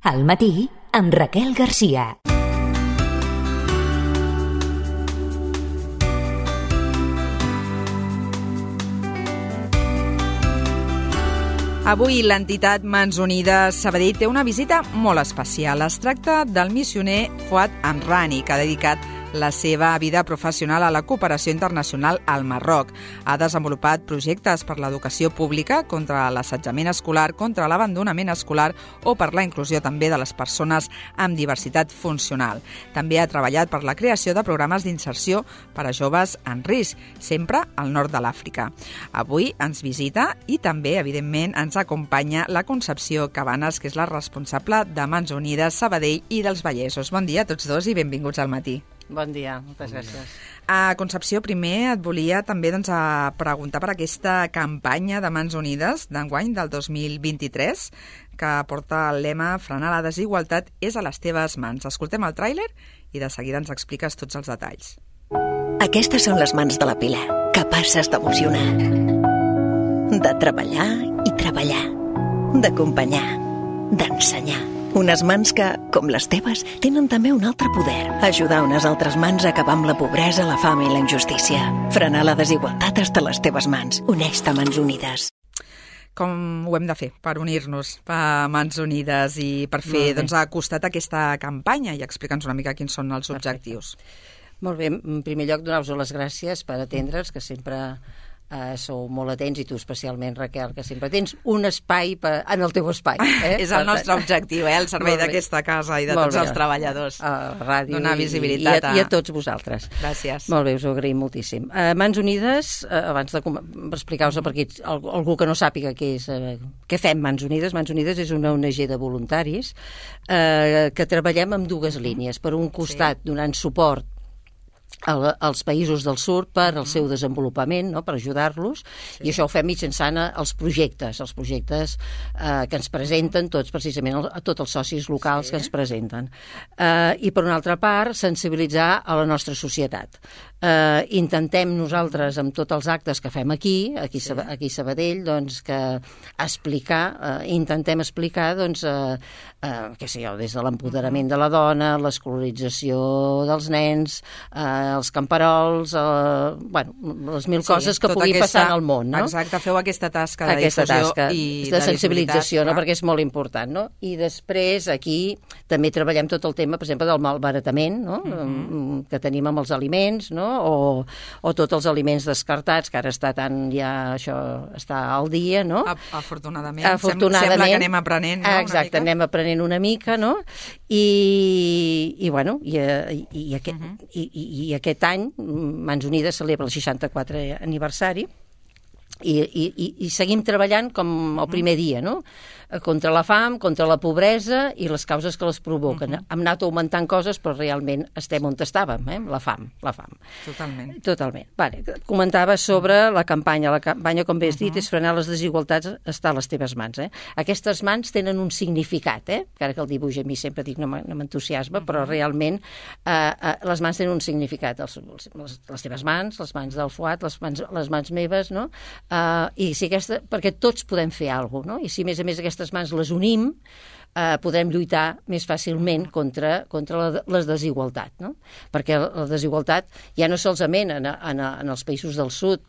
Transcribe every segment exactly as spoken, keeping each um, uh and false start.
Al matí, amb Raquel Garcia. Avui l'entitat Mans Unides Sabadell té una visita molt especial. Es tracta del missioner Fuad Amrani, que ha dedicat la seva vida professional a la cooperació internacional al Marroc. Ha desenvolupat projectes per l'educació pública, contra l'assetjament escolar, contra l'abandonament escolar o per la inclusió també de les persones amb diversitat funcional. També ha treballat per la creació de programes d'inserció per a joves en risc, sempre al nord de l'Àfrica. Avui ens visita i també, evidentment, ens acompanya la Concepció Cabanes, que és la responsable de Mans Unides Sabadell i dels Vallesos. Bon dia a tots dos i benvinguts al matí. Bon dia, moltes gràcies. A Concepció, primer et volia també doncs, a preguntar per aquesta campanya de Mans Unides d'enguany del dos mil vint-i-tres, que porta el lema "Frenar la desigualtat és a les teves mans". Escoltem el tràiler i de seguida ens expliques tots els detalls. Aquestes són les mans de la Pilar, capaces d'emocionar, de treballar i treballar, d'acompanyar, d'ensenyar. Unes mans que, com les teves, tenen també un altre poder. Ajudar unes altres mans a acabar amb la pobresa, la fam i la injustícia. Frenar la desigualtat està a les teves mans. Uneix-te a Mans Unides. Com ho hem de fer per unir-nos a Mans Unides i per fer doncs, a costat aquesta campanya i explica'ns una mica quins són els objectius? Perfecte. Molt bé, en primer lloc donar-vos les gràcies per atendre'ns, que sempre Uh, sou molt atents, i tu especialment, Raquel, que sempre tens un espai per, en el teu espai. Eh? És el nostre objectiu, eh? El servei d'aquesta casa i de molt tots bé. Els treballadors. A la ràdio donar visibilitat i, i, a, i a tots vosaltres. Gràcies. Molt bé, us ho agraïm moltíssim. Uh, Mans Unides, uh, abans de explicar-vos per aquí, algú que no sàpiga què és, uh, què fem Mans Unides, Mans Unides és una O N G de voluntaris uh, que treballem amb dues línies. Per un costat, sí. donant suport als països del sud per al seu desenvolupament, no? Per ajudar-los, sí. I això ho fem mitjançant els projectes, els projectes eh, que ens presenten tots, precisament a tots els socis locals, sí. que ens presenten. Eh, I per una altra part, sensibilitzar a la nostra societat. Eh, intentem nosaltres, amb tots els actes que fem aquí, aquí, sí. aquí a Sabadell, doncs, que explicar, eh, intentem explicar, doncs, eh, eh, què sé jo, des de l'empoderament de la dona, l'escolarització dels nens, eh, els camperols, eh, bueno, les mil sí, coses que pugui aquesta, passar en el món, no? Exacte, feu aquesta tasca de aquesta difusió tasca i de, de sensibilització, no? Clar. Perquè és molt important, no? I després aquí també treballem tot el tema, per exemple, del malbaratament, no? Mm-hmm. Que tenim amb els aliments, no? O, o tots els aliments descartats, que ara està tan ja això està al dia, no? Afortunadament, Afortunadament sembla que anem aprenent, no? Exacte, anem aprenent una mica, no? I, i bueno, i, i, i, aquest, uh-huh. i, i, i aquest any Mans Unides celebra el seixanta-quatrè aniversari i, i, i seguim treballant com el primer dia, no? Contra la fam, contra la pobresa i les causes que les provoquen. Uh-huh. Hem anat augmentant coses, però realment estem on estàvem, eh? La fam, la fam. Totalment. Totalment. Vale. Comentava sobre la campanya. La campanya, com bé has dit, uh-huh. és frenar les desigualtats, està a les teves mans. Eh? Aquestes mans tenen un significat, eh? Encara que el dibuix a mi sempre dic no m'entusiasma, uh-huh. però realment eh, eh, les mans tenen un significat. Els, les, les teves mans, les mans del Fuad, les mans, les mans meves, no? Eh, i si aquesta, perquè tots podem fer alguna cosa, no? I si a més a més aquestes mans les unim, eh, podrem lluitar més fàcilment contra, contra la, les desigualtats, no? Perquè la desigualtat ja no solament en, en, en els països del sud,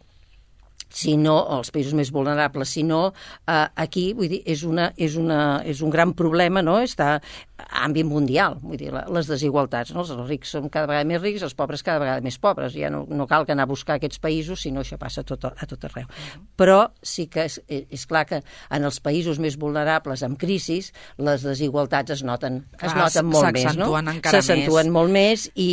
sinó els països més vulnerables, sinó eh, aquí, vull dir, és, una, és, una, és un gran problema, no? Està a àmbit mundial, vull dir, les desigualtats, no? Els rics són cada vegada més rics, els pobres cada vegada més pobres, ja no, no cal que anar a buscar aquests països, sinó això passa a tot, a tot arreu. Uh-huh. Però sí que és, és clar que en els països més vulnerables, amb crisis, les desigualtats es noten, es clar, noten molt més, no? S'accentuen molt més i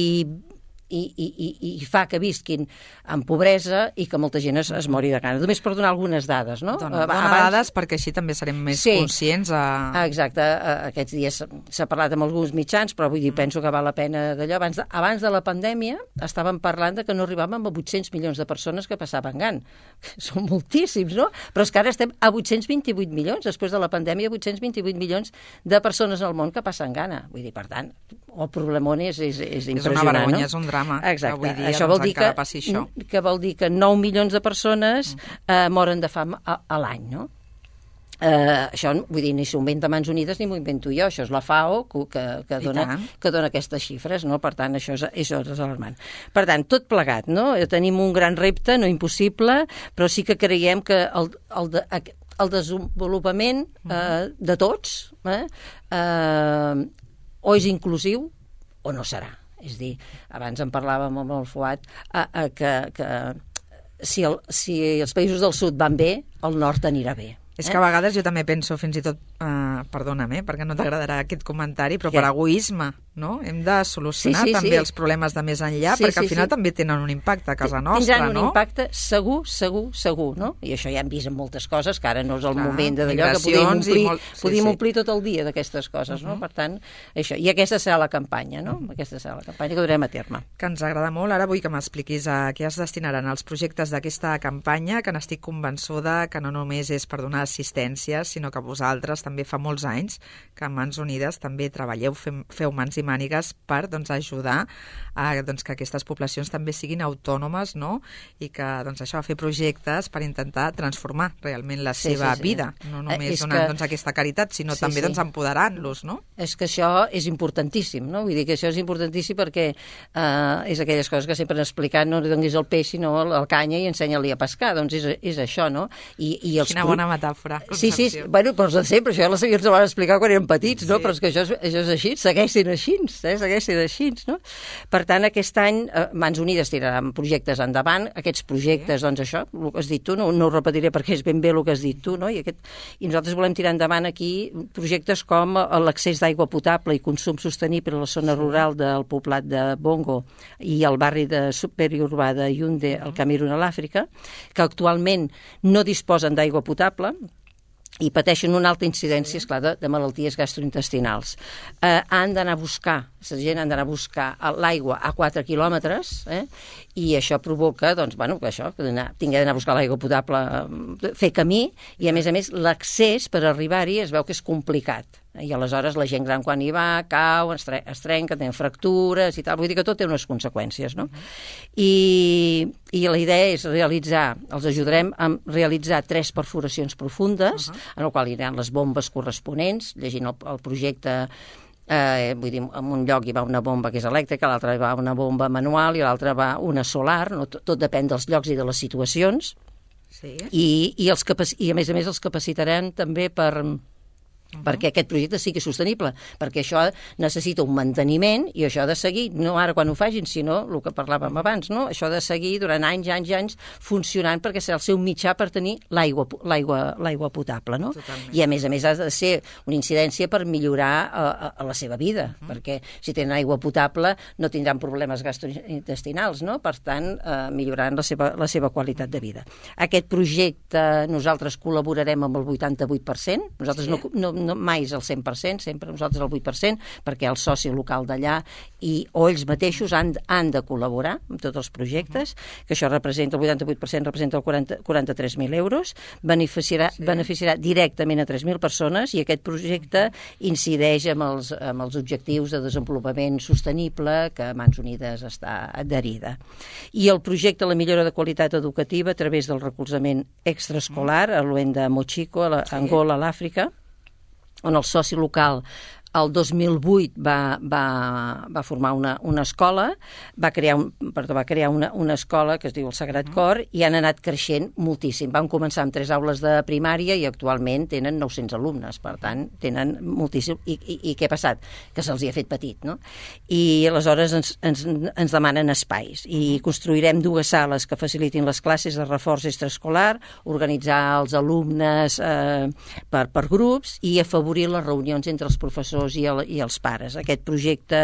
I, i, i, i fa que visquin en pobresa i que molta gent es, es mori de gana. Només per donar algunes dades, no? Dona, dona Abans... dades perquè així també serem més sí. conscients. A... Exacte. Aquests dies s'ha parlat amb alguns mitjans, però vull dir, penso que val la pena d'allò. Abans de, abans de la pandèmia estàvem parlant de que no arribàvem a vuit-cents milions de persones que passaven gana. Són moltíssims, no? Però és que ara estem a vuit-cents vint-i-vuit milions, després de la pandèmia, vuit-cents vint-i-vuit milions de persones al món que passen gana. Vull dir, per tant, el problemón és, és, és impressionant, és una vergonya, no? és un drama. Exacte. Avui dia això doncs, vol dir que, això. que vol dir que nou milions de persones eh, moren de fam a, a l'any, no? Uh, això, vull dir, ni s'ho inventa Mans Unides ni m'ho invento jo, això és la FAO que, que, dona, que dona aquestes xifres, no? Per tant, això és, això és alarmant. Per tant, tot plegat, no? Tenim un gran repte, no impossible, però sí que creiem que el, el, de, el desenvolupament eh, de tots eh, eh, o és inclusiu o no serà. És a dir, abans en parlàvem amb el Fuad eh, eh, que, que si, el, si els països del sud van bé, el nord anirà bé. És que a vegades jo també penso, fins i tot, eh, perdona'm, eh, perquè no t'agradarà aquest comentari, però per egoisme, no? Hem de solucionar sí, sí, també sí. els problemes de més enllà, sí, perquè al final sí. també tenen un impacte a casa nostra, Tindran no? un impacte segur, segur, segur, no? I això ja hem vist en moltes coses, que ara no és el Clar, moment d'allò que podíem omplir, molt... sí, podíem sí. omplir tot el dia d'aquestes coses, uh -huh. no? Per tant, això. I aquesta serà la campanya, no? Uh -huh. Aquesta serà la campanya que durem a terme. Que ens agrada molt. Ara vull que m'expliquis a què es destinaran els projectes d'aquesta campanya, que n'estic convençuda que no només és per donar assistència, sinó que vosaltres també fa molts anys que en Mans Unides també treballeu, fem, feu mans i mànigues per doncs, ajudar a doncs, que aquestes poblacions també siguin autònomes, no? I que doncs, això, fer projectes per intentar transformar realment la sí, seva sí, sí. vida, no només eh, donant que... doncs, aquesta caritat, sinó sí, també sí. doncs, empoderant-los, no? És que això és importantíssim, no? Vull dir que això és importantíssim perquè eh, és aquelles coses que sempre han explicat, no li donis el peix, sinó el, el canya i ensenya-li a pescar, doncs és, és això, no? I, i els Quina bona metàfora. Sí, sí, bueno, però de sempre, això la sabia, ens ho van explicar quan érem petits, no? Sí. Però és que això és, això és així, segueix sent així, eh? segueix sent així, no? Per tant, aquest any eh, Mans Unides tiraran projectes endavant, aquests projectes, sí. doncs això, el que has dit tu, no, no ho repetiré perquè és ben bé el que has dit tu, no? I, aquest, i nosaltres volem tirar endavant aquí projectes com l'accés d'aigua potable i consum sostenible a la zona rural del poblat de Bongo i al barri de periurbà de Yaoundé, al Camerun, a l'Àfrica, que actualment no disposen d'aigua potable i pateixen una alta incidència, esclar, de, de malalties gastrointestinals. Eh, han d'anar a buscar, la gent han d'anar a buscar l'aigua a quatre quilòmetres, eh, i això provoca, doncs, bueno, que això, que tingui d'anar a buscar l'aigua potable, fer camí, i a més a més l'accés per arribar-hi es veu que és complicat. I aleshores la gent gran quan hi va cau, es, tre es trenca, tenen fractures i tal, vull dir que tot té unes conseqüències, no? Uh -huh. I, i la idea és realitzar, els ajudarem a realitzar tres perforacions profundes, uh -huh. en el qual hi haurà les bombes corresponents, llegint el, el projecte. Eh, vull dir, en un lloc hi va una bomba que és elèctrica, a l'altre hi va una bomba manual i a l'altre va una solar, no? tot, tot depèn dels llocs i de les situacions. Sí. I, i, els i a més a més els capacitarem també per... Uh -huh. perquè aquest projecte sigui sostenible, perquè això necessita un manteniment i això ha de seguir, no ara quan ho facin, sinó el que parlàvem abans, no? Això ha de seguir durant anys, anys, anys funcionant perquè serà el seu mitjà per tenir l'aigua l'aigua l'aigua potable, no? Totalment. I a més a més ha de ser una incidència per millorar a, a, a la seva vida, uh -huh. perquè si tenen aigua potable no tindran problemes gastrointestinals, no? Per tant, eh, milloraran la seva, la seva qualitat de vida. Aquest projecte nosaltres col·laborarem amb el vuitanta-vuit per cent, nosaltres sí. no, no no mai és el cent per cent, sempre nosaltres el vuit per cent, perquè el soci local d'allà i o ells mateixos han, han de col·laborar amb tots els projectes, que això representa, el vuitanta-vuit per cent representa el quaranta-tres mil euros, beneficiarà, sí. beneficiarà directament a tres mil persones i aquest projecte incideix amb els, amb els objectius de desenvolupament sostenible que Mans Unides està adherida. I el projecte La millora de qualitat educativa a través del recolzament extraescolar a l'Uenda Mochico, a Angola, a l'Àfrica, on el soci local el dos mil vuit va, va, va formar una, una escola, va crear, un, perdó, va crear una, una escola que es diu el Sagrat Cor i han anat creixent moltíssim. Van començar amb tres aules de primària i actualment tenen nou-cents alumnes, per tant, tenen moltíssim. I, i, i què ha passat? Que se'ls hi ha fet petit, no? I aleshores ens, ens, ens demanen espais i construirem dues sales que facilitin les classes de reforç extraescolar, organitzar els alumnes eh, per, per grups i afavorir les reunions entre els professors I, el, i els pares. Aquest projecte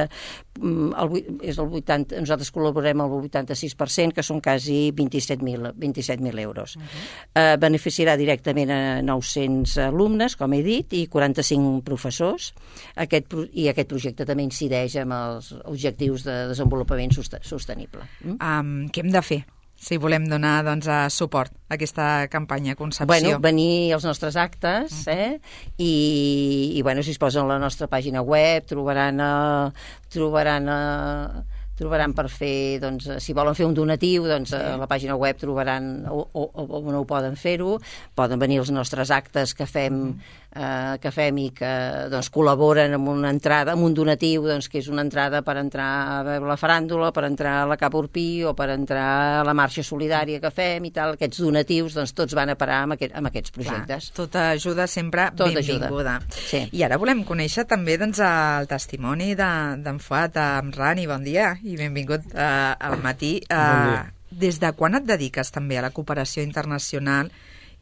el, és el vuitanta, nosaltres col·laborem al vuitanta-sis per cent, que són quasi vint-i-set mil euros. Uh -huh. eh, beneficiarà directament a nou-cents alumnes, com he dit, i quaranta-cinc professors. Aquest, I aquest projecte també incideix amb els objectius de desenvolupament sostenible. Mm? Um, què hem de fer si volem donar doncs, a suport a aquesta campanya Concepció? Bueno, venir als nostres actes, eh? I, i bueno, si es posen a la nostra pàgina web trobaran, a, trobaran a, trobaran per fer, doncs, si volen fer un donatiu, doncs a la pàgina web trobaran o, o, o no ho poden fer-ho, poden venir els nostres actes que fem, eh, que fem i que doncs, col·laboren amb una entrada, amb un donatiu, doncs, que és una entrada per entrar a veure la faràndula, per entrar a la Cap Urpí o per entrar a la marxa solidària que fem i tal. Aquests donatius, doncs, tots van a parar amb, aquest, amb aquests projectes. Clar, tota ajuda sempre Tot benvinguda. Sí. I ara volem conèixer també doncs, el testimoni d'en de, Fuad, en Rani. Bon dia i benvingut uh, al matí. Uh, bon dia. Des de quan et dediques també a la cooperació internacional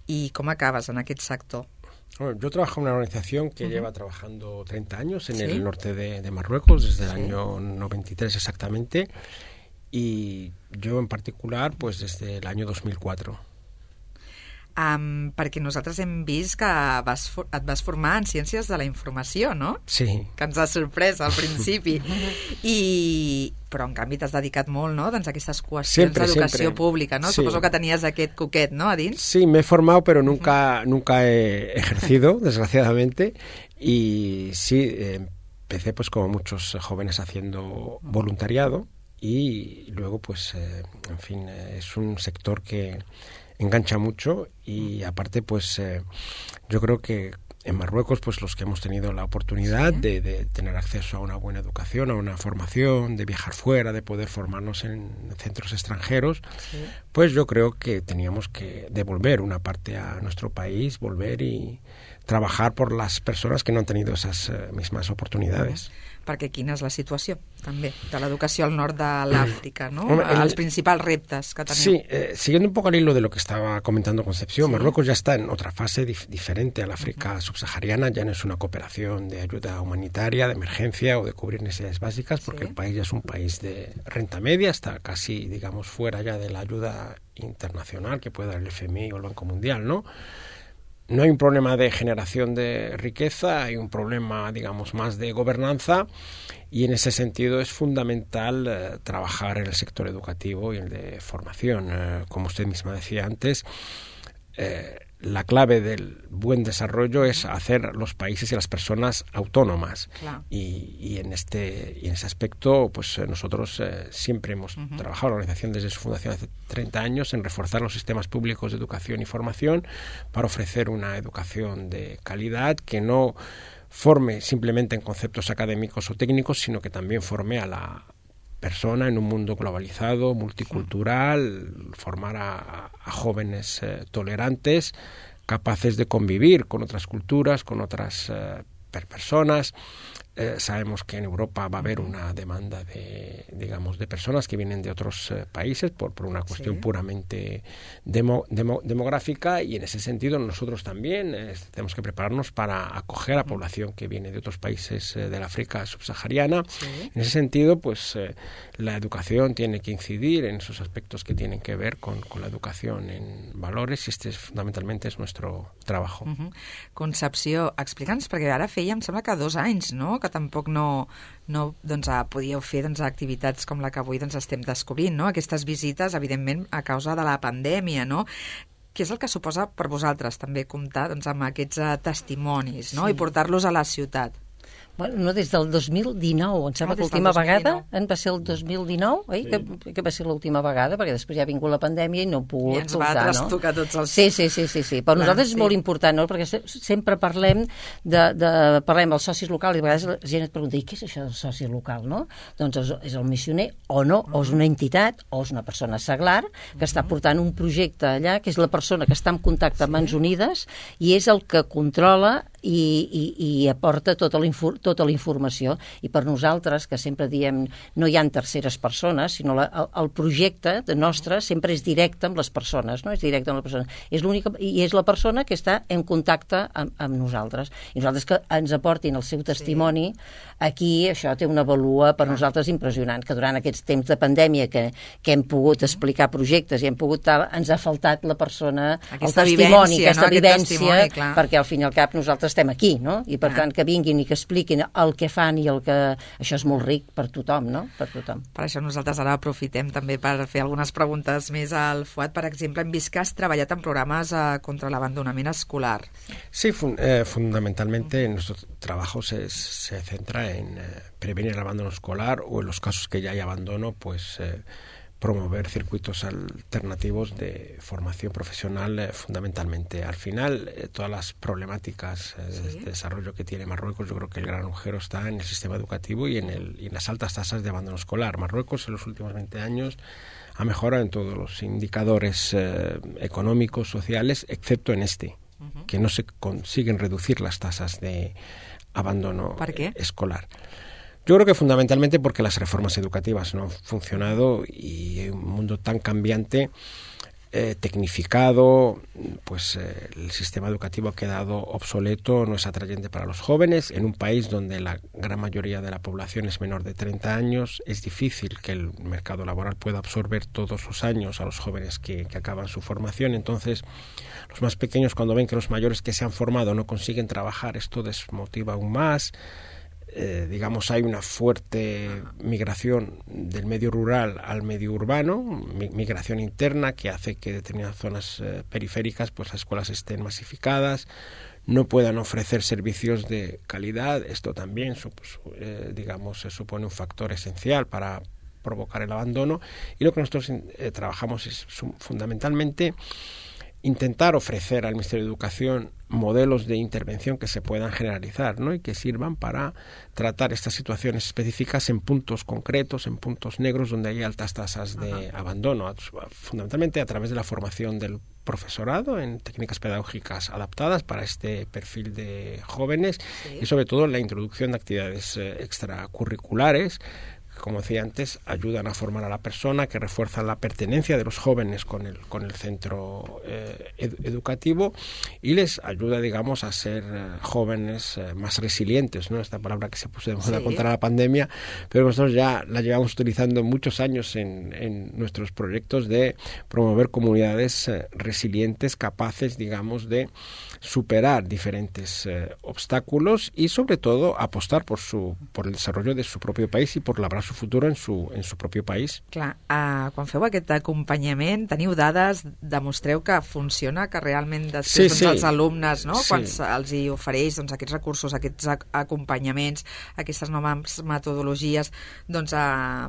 y cómo acabas en aquel sector? Bueno, yo trabajo en una organización que uh-huh. lleva trabajando treinta años en ¿Sí? el norte de, de Marruecos, desde el ¿Sí? año noventa y tres exactamente, y yo en particular pues desde el año dos mil cuatro. Um, perquè nosaltres hem vist que vas for et vas formar en Ciències de la Informació, no? Sí. Que ens ha sorprès al principi. I... Però, en canvi, t'has dedicat molt, no?, doncs, a aquestes qüestions d'educació pública, ¿no? Sí. Suposo que tenies aquest coquet, ¿no?, a dins. Sí, me he formado, pero nunca, nunca he ejercido, desgraciadamente, y sí, eh, empecé, pues, como muchos jóvenes, haciendo voluntariado, y luego, pues, eh, en fin, eh, es un sector que engancha mucho y aparte pues eh, yo creo que en Marruecos pues los que hemos tenido la oportunidad ¿Sí? de, de tener acceso a una buena educación, a una formación, de viajar fuera, de poder formarnos en centros extranjeros, ¿Sí? pues yo creo que teníamos que devolver una parte a nuestro país, volver y trabajar por las personas que no han tenido esas eh, mismas oportunidades. Perquè quina és la situació, també, de l'educació al nord de l'Àfrica, ¿no? Hombre, el, Els principals reptes que tenim. Sí, eh, siguiendo un poco al hilo de lo que estaba comentando Concepción, ¿Sí? Marruecos ya está en otra fase dif diferente al África uh-huh. subsahariana, ya no es una cooperación de ayuda humanitaria, de emergencia o de cubrir necesidades básicas, porque ¿Sí? el país ya es un país de renta media, está casi, digamos, fuera ya de la ayuda internacional que puede dar el F M I o el Banco Mundial, ¿no? No hay un problema de generación de riqueza, hay un problema, digamos, más de gobernanza y en ese sentido es fundamental eh, trabajar en el sector educativo y el de formación. Eh, como usted misma decía antes, eh, la clave del buen desarrollo es hacer los países y las personas autónomas. Claro. Y, y, en este, y en ese aspecto, pues nosotros eh, siempre hemos uh-huh. trabajado, la organización desde su fundación hace treinta años, en reforzar los sistemas públicos de educación y formación para ofrecer una educación de calidad que no forme simplemente en conceptos académicos o técnicos, sino que también forme a la persona en un mundo globalizado, multicultural, formar a, a jóvenes eh, tolerantes, capaces de convivir con otras culturas, con otras eh, personas. Eh, sabemos que en Europa va a haber una demanda de, digamos, de personas que vienen de otros eh, países por, por una cuestión sí. puramente demo, demo, demográfica y en ese sentido nosotros también eh, tenemos que prepararnos para acoger a la población que viene de otros países eh, del África subsahariana. Sí. En ese sentido, pues eh, la educación tiene que incidir en esos aspectos que tienen que ver con, con la educación en valores y este es, fundamentalmente es nuestro trabajo. Uh-huh. Concepció, explica'ns, perquè ara feia, em sembla que dos anys, no?, que tampoc no, no doncs, podíeu fer doncs, activitats com la que avui doncs, estem descobrint, no? Aquestes visites, evidentment, a causa de la pandèmia, no? Què és el que suposa per vosaltres també comptar doncs, amb aquests uh, testimonis, no? Sí. I portar-los a la ciutat? Bueno, no, des del dos mil dinou, em sembla no, que l'última vegada en va ser el dos mil dinou, oi? Sí. Que, que va ser l'última vegada, perquè després ja ha vingut la pandèmia i no he pogut I ens va trastocar no? tots els... Sí, sí, sí, sí, sí. Per Clar, nosaltres sí. és molt important, no? Perquè sempre parlem de, de parlem dels socis locals i a vegades la gent et pregunta, i què és això del soci local, no? Doncs és, és el missioner o no, uh-huh. o és una entitat o és una persona seglar que uh-huh. està portant un projecte allà, que és la persona que està en contacte amb sí. Mans Unides i és el que controla i, i, i aporta tota la, tota la informació. I per nosaltres, que sempre diem no hi ha terceres persones, sinó la, el, el projecte de nostre sempre és directe amb les persones, no? És directe amb la persona. És l'única, i és la persona que està en contacte amb, amb nosaltres. I nosaltres que ens aportin el seu testimoni, sí. aquí això té una valua per nosaltres impressionant, que durant aquests temps de pandèmia que, que hem pogut explicar projectes i hem pogut tal, ens ha faltat la persona, aquesta el testimoni, vivència, aquesta no? vivència, perquè al fin i al cap nosaltres nosaltres estem aquí, no? I per ah. tant que vinguin i que expliquin el que fan i el que... Això és molt ric per tothom, no? Per tothom. Per això nosaltres ara aprofitem també per fer algunes preguntes més al Fuad. Per exemple, hem vist que has treballat en programes eh, contra l'abandonament escolar. Sí, fun eh, fundamentalmente nuestro trabajo se, se centra en eh, prevenir el abandono escolar o en los casos que ya hay abandono, pues... Eh, promover circuitos alternativos de formación profesional eh, fundamentalmente. Al final, eh, todas las problemáticas eh, ¿Sí? de desarrollo que tiene Marruecos, yo creo que el gran agujero está en el sistema educativo y en, el, y en las altas tasas de abandono escolar. Marruecos en los últimos veinte años ha mejorado en todos los indicadores eh, económicos, sociales, excepto en este, uh-huh. que no se consiguen reducir las tasas de abandono ¿Por qué? escolar. Yo creo que fundamentalmente porque las reformas educativas no han funcionado y en un mundo tan cambiante, eh, tecnificado, pues eh, el sistema educativo ha quedado obsoleto, no es atrayente para los jóvenes. En un país donde la gran mayoría de la población es menor de treinta años, es difícil que el mercado laboral pueda absorber todos los años a los jóvenes que, que acaban su formación. Entonces, los más pequeños, cuando ven que los mayores que se han formado no consiguen trabajar, esto desmotiva aún más. Eh, digamos, hay una fuerte migración del medio rural al medio urbano, mi, migración interna que hace que determinadas zonas eh, periféricas, pues las escuelas estén masificadas, no puedan ofrecer servicios de calidad. Esto también, pues, eh, digamos, se supone un factor esencial para provocar el abandono. Y lo que nosotros eh, trabajamos es fundamentalmente intentar ofrecer al Ministerio de Educación modelos de intervención que se puedan generalizar, ¿no? Y que sirvan para tratar estas situaciones específicas en puntos concretos, en puntos negros donde hay altas tasas de Ajá. abandono, fundamentalmente a través de la formación del profesorado en técnicas pedagógicas adaptadas para este perfil de jóvenes sí. y sobre todo la introducción de actividades eh, extracurriculares, como decía antes, ayudan a formar a la persona, que refuerzan la pertenencia de los jóvenes con el, con el centro eh, ed educativo y les ayuda, digamos, a ser eh, jóvenes eh, más resilientes, ¿no? Esta palabra que se puso de moda sí. contra la pandemia, pero nosotros ya la llevamos utilizando muchos años en, en nuestros proyectos de promover comunidades eh, resilientes, capaces, digamos, de superar diferentes eh, obstáculos y, sobre todo, apostar por, su, por el desarrollo de su propio país y por labrar su futur en su, en su propi país. Clar, uh, quan feu aquest acompanyament, teniu dades, demostreu que funciona, que realment després sí, doncs, sí. els alumnes, no? Sí. quan els hi ofereix doncs, aquests recursos, aquests ac acompanyaments, aquestes noves metodologies, doncs uh,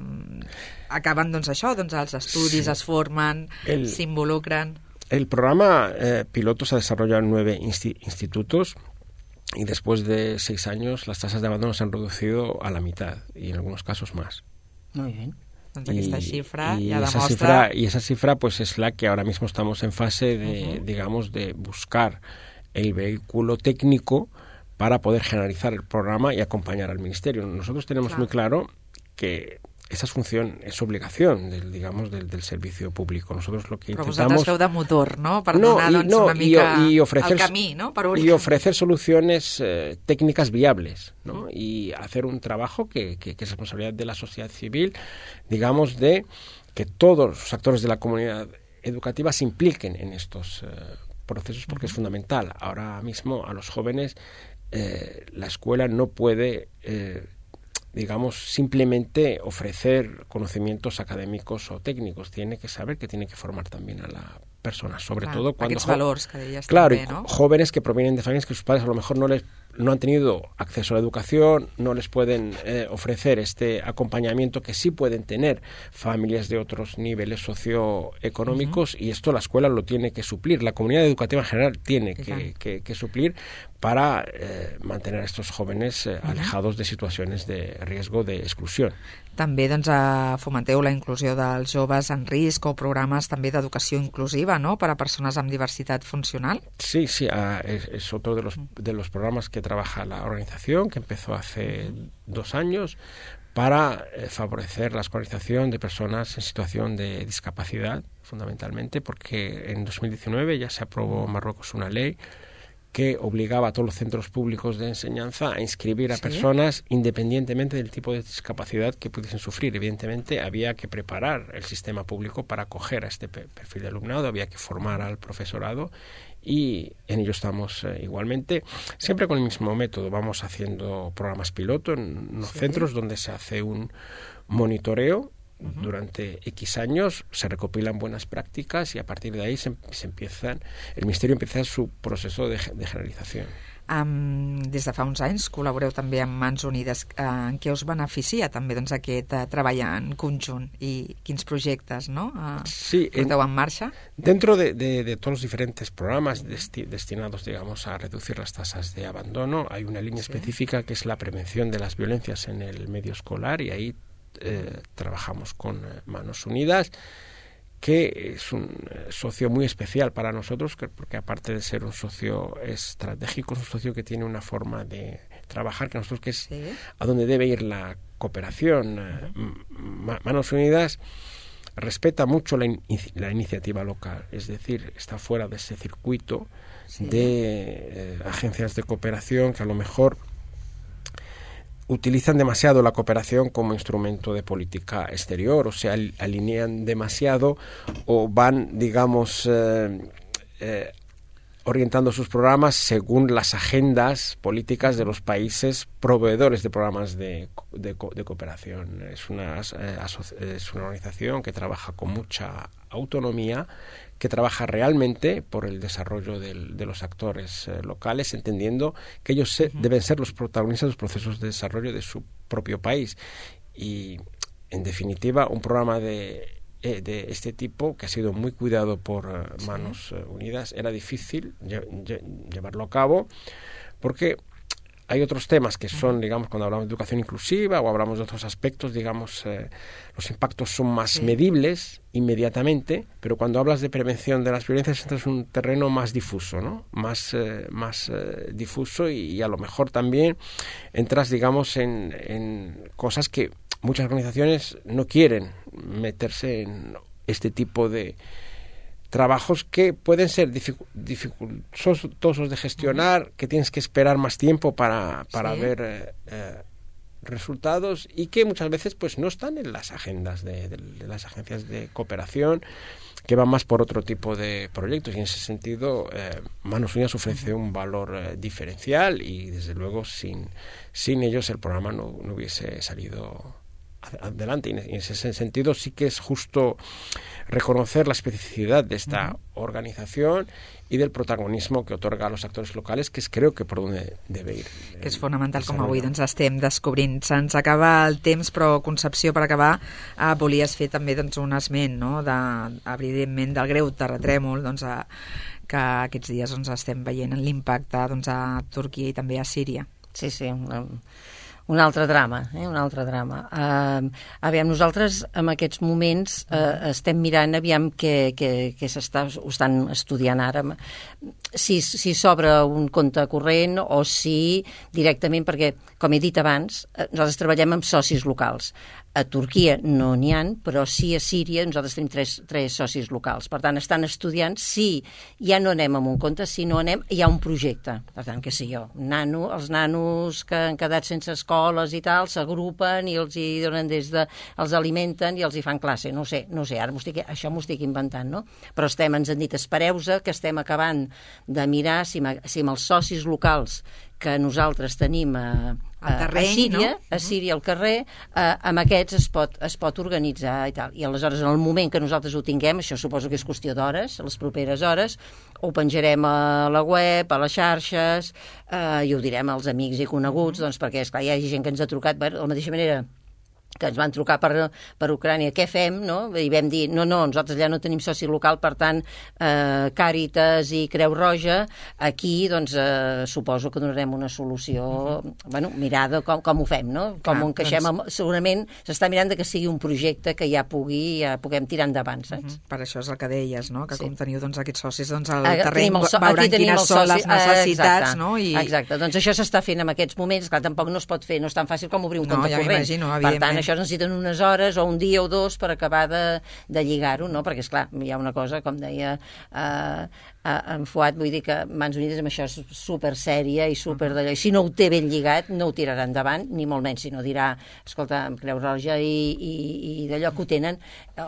acaben doncs, això, doncs, els estudis, sí. es formen, s'involucren. El programa eh, piloto se ha desarrollado en nueve insti institutos y después de seis años las tasas de abandono se han reducido a la mitad y en algunos casos más. Muy bien. Doncs aquesta xifra y, ja esa demostra... Cifra, y esa cifra pues es la que ahora mismo estamos en fase de, uh-huh. digamos, de buscar el vehículo técnico para poder generalizar el programa y acompañar al Ministerio. Nosotros tenemos claro. muy claro que esa es función, es obligación del, digamos, del, del servicio público. Nosotros lo que Però intentamos... Però vosaltres feu de motor, no? Per no, donar y, doncs, no, una mica y, y ofrecer, el camí, ¿no? Per y ofrecer soluciones eh, técnicas viables, ¿no? Y hacer un trabajo que, que, que es responsabilidad de la sociedad civil, digamos, de que todos los actores de la comunidad educativa se impliquen en estos eh, procesos, porque uh-huh. es fundamental. Ahora mismo a los jóvenes eh, la escuela no puede... Eh, digamos, simplemente ofrecer conocimientos académicos o técnicos. Tiene que saber que tiene que formar también a la persona, sobre Clar, todo cuando... Aquests valors que deies claro, també, no? Jóvenes que provienen de familias que sus padres a lo mejor no les no han tenido acceso a la educación, no les pueden eh, ofrecer este acompañamiento que sí pueden tener familias de otros niveles socioeconómicos uh-huh. y esto la escuela lo tiene que suplir, la comunidad educativa en general tiene que, que, que suplir para eh, mantener a estos jóvenes eh, uh-huh. alejados de situaciones de riesgo de exclusión. També doncs, eh, fomenteu la inclusió dels joves en risc o programes també d'educació inclusiva, ¿no? Para personas amb diversidad funcional. Sí, sí, uh, es, es otro de los, de los programas que trabaja la organización, que empezó hace uh-huh. dos años, para eh, favorecer la escolarización de personas en situación de discapacidad, fundamentalmente, porque en dos mil diecinueve ya se aprobó en Marruecos una ley que obligaba a todos los centros públicos de enseñanza a inscribir a ¿Sí? personas independientemente del tipo de discapacidad que pudiesen sufrir. Evidentemente había que preparar el sistema público para acoger a este perfil de alumnado, había que formar al profesorado y en ello estamos eh, igualmente, siempre con el mismo método. Vamos haciendo programas piloto en unos ¿Sí? centros donde se hace un monitoreo. Uh-huh. Durante X años se recopilan buenas prácticas y a partir de ahí se, se empiezan, el Ministerio empieza su proceso de, de generalització. Um, des de fa uns anys col·laboreu també amb Mans Unides. Uh, en què us beneficia també doncs, aquest uh, treball en conjunt i quins projectes no? uh, sí, porteu en, en marxa? Dentro de, de, de todos los diferentes programas desti destinados digamos, a reducir las tasas de abandono, hay una línea sí. específica que es la prevención de las violencias en el medio escolar y ahí Eh, trabajamos con eh, Manos Unidas, que es un eh, socio muy especial para nosotros, que, porque aparte de ser un socio estratégico, es un socio que tiene una forma de trabajar que nosotros que es ¿Sí? a donde debe ir la cooperación. Eh, Manos Unidas respeta mucho la, in la iniciativa local, es decir, está fuera de ese circuito ¿Sí? de eh, agencias de cooperación que a lo mejor utilizan demasiado la cooperación como instrumento de política exterior, o sea, alinean demasiado o van, digamos, eh, eh, orientando sus programas según las agendas políticas de los países proveedores de programas de, de, de cooperación. Es una, eh, es una organización que trabaja con mucha autonomía, que trabaja realmente por el desarrollo del, de los actores eh, locales, entendiendo que ellos se, uh-huh. deben ser los protagonistas de los procesos de desarrollo de su propio país. Y, en definitiva, un programa de, eh, de este tipo, que ha sido muy cuidado por uh, Manos uh, Unidas, era difícil lle lle llevarlo a cabo, porque hay otros temas que son, digamos, cuando hablamos de educación inclusiva o hablamos de otros aspectos, digamos, eh, los impactos son más sí. medibles inmediatamente, pero cuando hablas de prevención de las violencias entras en un terreno más difuso, ¿no? Más, eh, más eh, difuso y, y a lo mejor también entras, digamos, en, en cosas que muchas organizaciones no quieren meterse en este tipo de trabajos que pueden ser dificultosos de gestionar, que tienes que esperar más tiempo para, para sí. ver eh, eh, resultados y que muchas veces pues no están en las agendas de, de, de las agencias de cooperación, que van más por otro tipo de proyectos, y en ese sentido eh, Manos Unidas ofrece un valor eh, diferencial y desde luego sin, sin ellos el programa no, no hubiese salido adelante, y en ese sentido sí que es justo reconocer la especificidad de esta uh-huh. organización y del protagonismo que otorga a los actors locals, que és creo que per on debe ir. Que és fonamental, com avui doncs, estem descobrint. Se'ns acaba el temps, però Concepció, per acabar, eh, volies fer també doncs, un esment, no? de, evidentment, del greu terratrèmol doncs, a, que aquests dies doncs, estem veient l'impacte doncs, a Turquia i també a Síria. Sí, sí, um... un altre drama, eh? un altre drama. Uh, aviam, nosaltres en aquests moments uh, estem mirant aviam què, què, què s'està, ho estan estudiant ara, si, si s'obre un compte corrent o si directament, perquè, com he dit abans, nosaltres treballem amb socis locals. A Turquia no n'hi ha, però sí a Síria nosaltres tenim tres, tres socis locals. Per tant, estan estudiant si ja no anem amb un compte, si no anem, hi ha un projecte. Per tant, què sé jo, nano, els nanos que han quedat sense escoles i tal, s'agrupen i els hi donen des de... els alimenten i els hi fan classe. No sé, no sé, ara estic, això m'ho estic inventant, no? Però estem, ens han dit, espereu-se, que estem acabant de mirar si, si amb els socis locals que nosaltres tenim a, a, terreny, a Síria, no? a Síria al carrer, eh, amb aquests es pot, es pot organitzar i tal. I aleshores, en el moment que nosaltres ho tinguem, això suposo que és qüestió d'hores, a les properes hores, ho penjarem a la web, a les xarxes, eh, i ho direm als amics i coneguts, doncs perquè, esclar, hi ha gent que ens ha trucat de la mateixa manera que ens van trucar per, per Ucrània, què fem, no? I vam dir, no, no, nosaltres allà no tenim soci local, per tant, eh, Càritas i Creu Roja, aquí, doncs, eh, suposo que donarem una solució, mm-hmm. bueno, mirada com, com ho fem, no? Com ah, ho encaixem, doncs... amb, segurament s'està mirant de que sigui un projecte que ja pugui, ja puguem tirar endavant, saps? Mm-hmm. Per això és el que deies, no? Que sí. Com teniu doncs, aquests socis doncs, al ah, terreny, so veuran quines són les necessitats, exacte, no? I... Exacte, doncs això s'està fent en aquests moments, clar, tampoc no es pot fer, no és tan fàcil com obrir un no, compte ja corrent. Per tant, en això necessiten unes hores o un dia o dos per acabar de, de lligar-ho, no? Perquè, esclar, hi ha una cosa, com deia eh, en Fuad, vull dir que Mans Unides amb això és super sèria i super d'allò, i si no ho té ben lligat no ho tirarà endavant, ni molt menys, sinó dirà, escolta, amb Creu Roja i, i, i d'allò que ho tenen,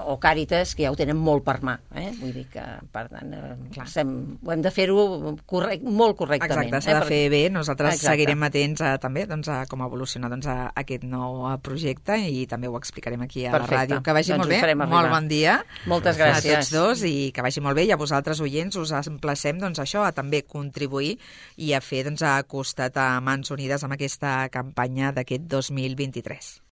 o Càritas, que ja ho tenen molt per mà, eh? Vull dir que, per tant, eh, sem, ho hem de fer-ho correct, molt correctament. Exacte, s'ha eh? de fer bé, nosaltres Exacte. Seguirem atents a, també doncs, a com evoluciona doncs, a aquest nou projecte i també ho explicarem aquí a Perfecte. La ràdio. Que vagi doncs molt bé, molt bon dia. Moltes gràcies. A tots dos i que vagi molt bé, i a vosaltres oients us emplacem doncs, això, a també contribuir i a fer doncs, a costat a Mans Unides amb aquesta campanya d'aquest dos mil vint-i-tres.